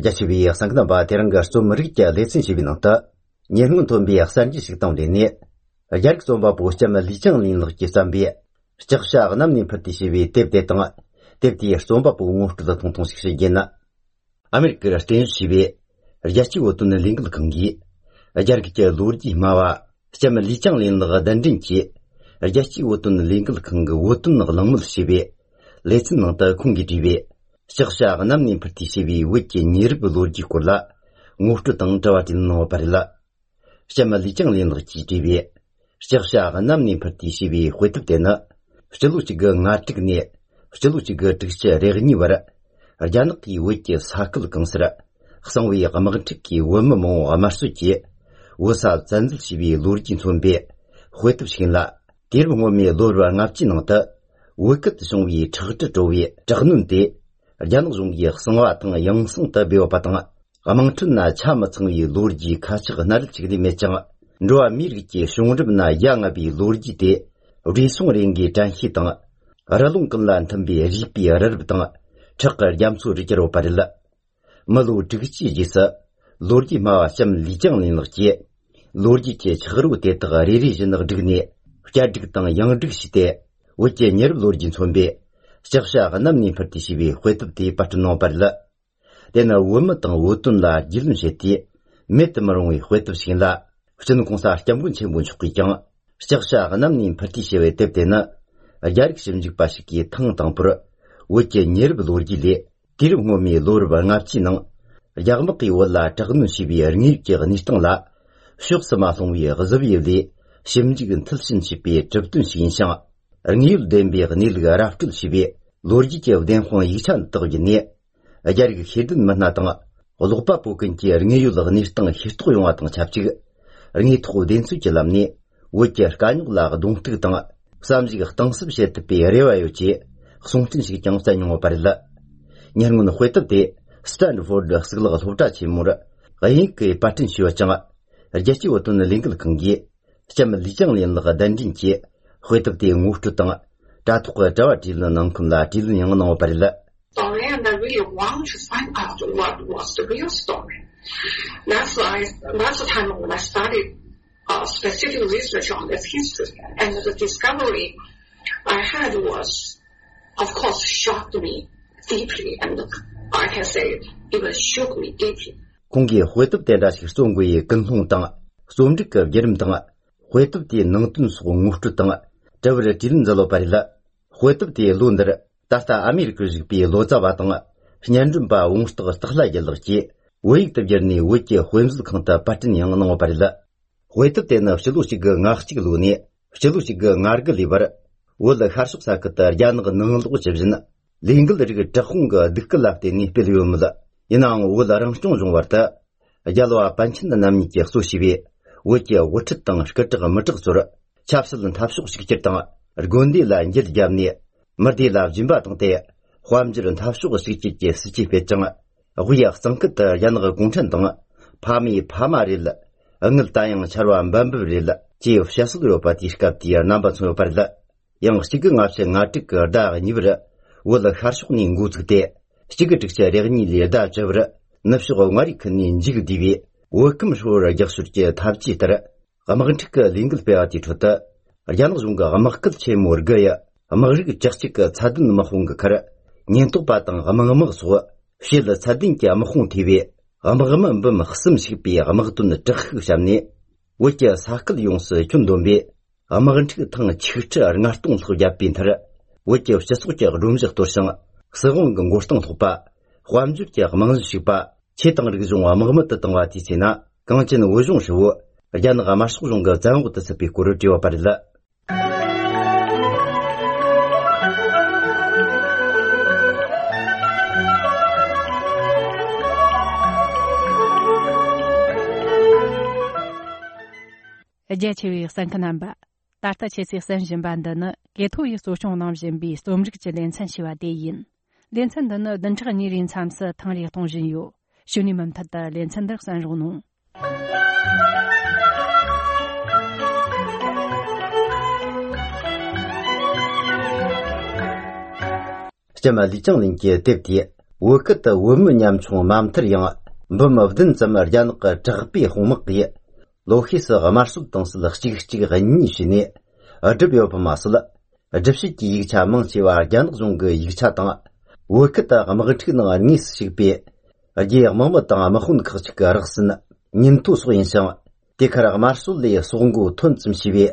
자치비 상근바 대랑가 좀 머리게 레슨 시비나다 년문 돈비 약산지 식당되니 야르 좀바 보시자마 리정린로 기산비 시작샤가 남님 파티시비 텝데당 텝디 좀바 보고스도 통통식시게나 아메리카 스테인시비 야치 오토는 링글 경기 야르게 루르지 마와 시자마 리정린로가 단진치 야치 오토는 링글 경기 오토는 랑물시비 레슨나다 공기지비 시작샤가 남님 파티시비 위치 니르블로지 콜라 무스도 당자와진노 바릴라 시자마 리정린로 지지비 시작샤가 남님 파티시비 회습되나 시루치가 나트그니 시루치가 뜻이 레그니 와라 아잔기 위치 사클 강스라 성위 가마트키 원모모 아마스키 우사 잔즈시비 루르진 손비 회습시긴라 디르모미 로르와 납지노다 위끝 성위 처트 조위 작는데 아잔종이 성와당 영성다 배워봤다 아망춘나 참성위 루르지 카치가 나르치기 메짱 로아 미르기 숑르브나 양아비 루르지데 리송랭기 잔히당 아라룽글란 탐비 리피 아르브당 척거 ям수르지로 바릴라 말로 드기지지사 로르지마 샴 리정린르지 로르지체 척르고 데다가 리리진의 드그니 갸드기당 양드기시데 오제 녀르 로르진 손베 시작샤가 남니 파티시비 회습디 파트노 바릴라 데나 원마당 오톤라 질문셰티 메트마롱이 회습시긴라 후전 공사 장군 책무 축기장 시작샤가 남님 파티시에 텝데나 야릭 심직 바시기 탕당프로 오제 녀르 로르지리 디르모미 로르바 납치능 야그먹기 월라 작은 시비 어니께가 니스통라 슈크스마송위에 거즈비리 심직은 틀신 시비 접든 시인상 응일 덴비가 닐가 라프틀 시비 로르지께 덴홍 이찬 떡이니 야릭 히든 만나당 올로파 보근지 응이유가 니스통 히스토 용화당 잡지 응이 토된 수질람니 오제 간글라가 동특당 삼지가 땅습시에트비 레와요지 송튼식 장사용어 바릴라 년군 회답대 스탠포드 스글가 소타치무라 가이케 파튼 시와짱아 제치 오톤 링글 긍기 참 리정린가 단진지 회답대 무스트땅 다투가 자와딜는 남군라 딜는 영어노 바릴라 story and I really want to find out what was the real story. That's the time when I started specific research on this history, and the discovery I had was, of course, shocked me deeply, and I can say even shook me deeply. 공기 회답대다시 송구의 근홍땅 솜직급 예름땅 회답대 능튼 소무스트땅 저버를 딜은절로 바릴라 회답대 론더 다스타 아메리카식 비 로자바땅 신년준바 웅스트가 스타라geller지 웨이트저니 위치 회음스 칸타 파튼 양노 바릴라 회답대나 실루시가 나흐치글로니 실루시가 나르글리버 월라 하숙사크타 야는가 능을고 집진 링글르가 저홍가 득글랍데니 벨요무다 이나ң 월라랑 종종와다 야로아 반친다 남니께 소시비 위치 워츠땅 스커트가 머트그소라 찹슬은 탑숙시키겠다 르곤디라 인젤잠니 머디라 짐바동데 화암질은 탑숙을 시키게 스치베짱 후약 성끝다 야너가 공천동 파미 파마릴 응을 따양 차로안 반부릴 지우 샤스그로 바티스캅디아 남바츠오 바르다 영시근 앞세 나티거다 니브라 월라 하르숙니 구즈데 시그득자 레그니리다 저브라 납시고 마리크니 인지그디비 워금쇼라 jaksurje 탑지더라 아마근티크 링글베아티 토다 야노중가 아마클 체모르가야 아마르기 작치가 차든 마홍가 카라 년토바당 아마가마소 실 차딘기 아마홍 TV 아마가만 범 흐슴식비 아마그돈 적흑샴니 워께 사클 용스 춘돈비 아마근티크 탕 치흐츠 아르나르동소 야빈타라 워께 셔스고제 룸적 도상 서공근 고스동 토바 화암죽제 아마근식바 체땅르기 중 아마가마다 땅와티시나 강진의 오종시우 야나가 마스고종가 장고도 스피코를 지워 바릴라 제치위 산카남바 다타 체시 산진반다는 게토이 소총 남진비 소음직제 렌찬시와 대인 렌찬다는 던처니 린참스 탕리 통진요 슈니만 타다 렌찬더 산로노 시자마 리정린게 뎁디 وكت ومن يمشون مامتر ين بمفدن زمر ينق جغبي خمقي لوخيس غمارسل تنسل خشيخشي غني شني أجبيو بماسل أجبشي يجتا منشي وار ينق زونغ يجتا تنغ وكت غمغتك نغ نيس شكبي أجي غمم تنغ مخون كخشك رخصن نينتو سوينشان ديكار غمارسل لي سونغو تنسم شبي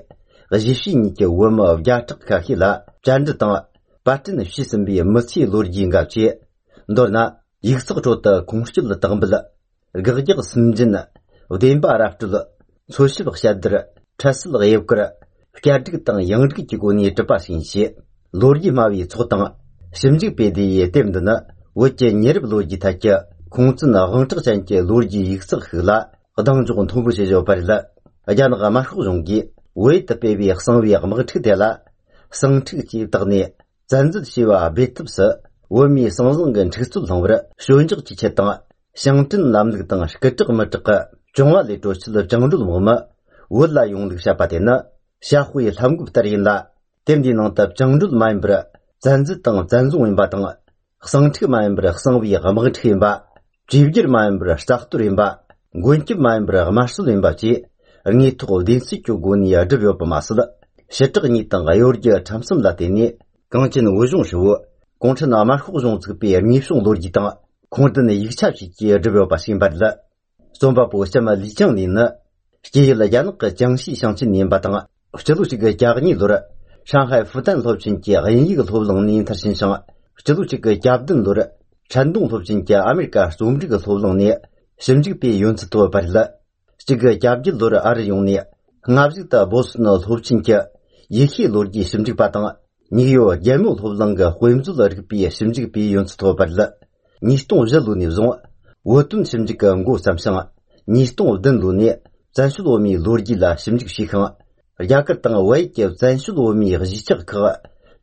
غجيشي نيكي وم وجاتق كاكيلا جاند تنغ باتن شيسنبي مصي لورجين غابشي ndorna yigsig chota kongshil tagbla gigig simjin udemba araftul soshib xadr chasil gayebkra fkardig tang yangdig jigoni tpa sinshi lorgi mawi chotang simjig bedi yetemdna woche nerb logi takya kongzin agangchig chanche lorgi yigsig khla qadang jugun thobu shejo barila ajan ga mahgu jonggi wait bebi xsangwi gamgchig dela sangchig ji dagni zanzid shiwa betibsa ومي سانزن تشتل لنور شونجق تشتان شانتن لاملق تان شكتق متق جونوا لي توشل جنگل موما ولا يونلق شاباتنا شاخوي لامغب ترينلا تمدي نونتا جنگل مايمبر زانز تان زانزون وينبا تان خسانتق مايمبر خسانوي غمغت ينبا جيبجر مايمبر شتاختور ينبا غونكي مايمبر غماشل ينبا جي رني تو دينسي جوغوني ادبيو بماسل شتق ني تان غيورجي تامسم لاتيني 강진 오종 쇼 공천 남아 후종 즈비 미송 로지 당 공든 이차시 제 저벼 바신 바르다 좀바 보셔마 리정리는 제일라 양거 장시 상친 님바당 저도지가 자그니 로라 상하이 부단 법진제 연이거 소블롱니 타신상 저도지가 잡든 로라 찬동 법진제 아메리카 좀지가 소블롱니 심지비 윤츠도 바르다 지가 잡질 로라 아르용니 흥압지다 보스노 법진제 예히 로지 심지 바당 니요 예무 소블롱가 호임즈르 비 심지 비 윤츠도 바르다 니스동 절루니 종 워튼 심지가 고 삼상 니스동 든루니 잔슈로미 로르기라 심지 시khang 야크땅 와이케 잔슈로미 리지적 그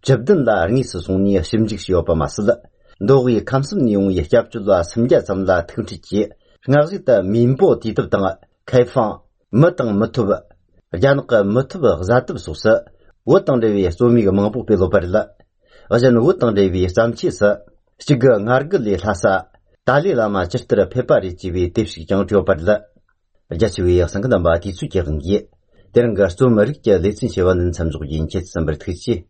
접든라 니스 송니 심지 시오바 마슬 노기 감슴 용이 협주라 심자 잠라 특치지 ngagita 민보 디듭땅开放 머땅 머투바 야누가 머투바 자듭 소서 워땅데위 소미가 망부 베로바르라 어전 워땅데위 삼치서 지가 나르글리 하사 달리라마 지스트라 페파리 지비 뎁시 장조바르라 자치위 상근담바 디수게근기 데른가 스토머릭게 레슨시와는 참조인 쳇선버 특치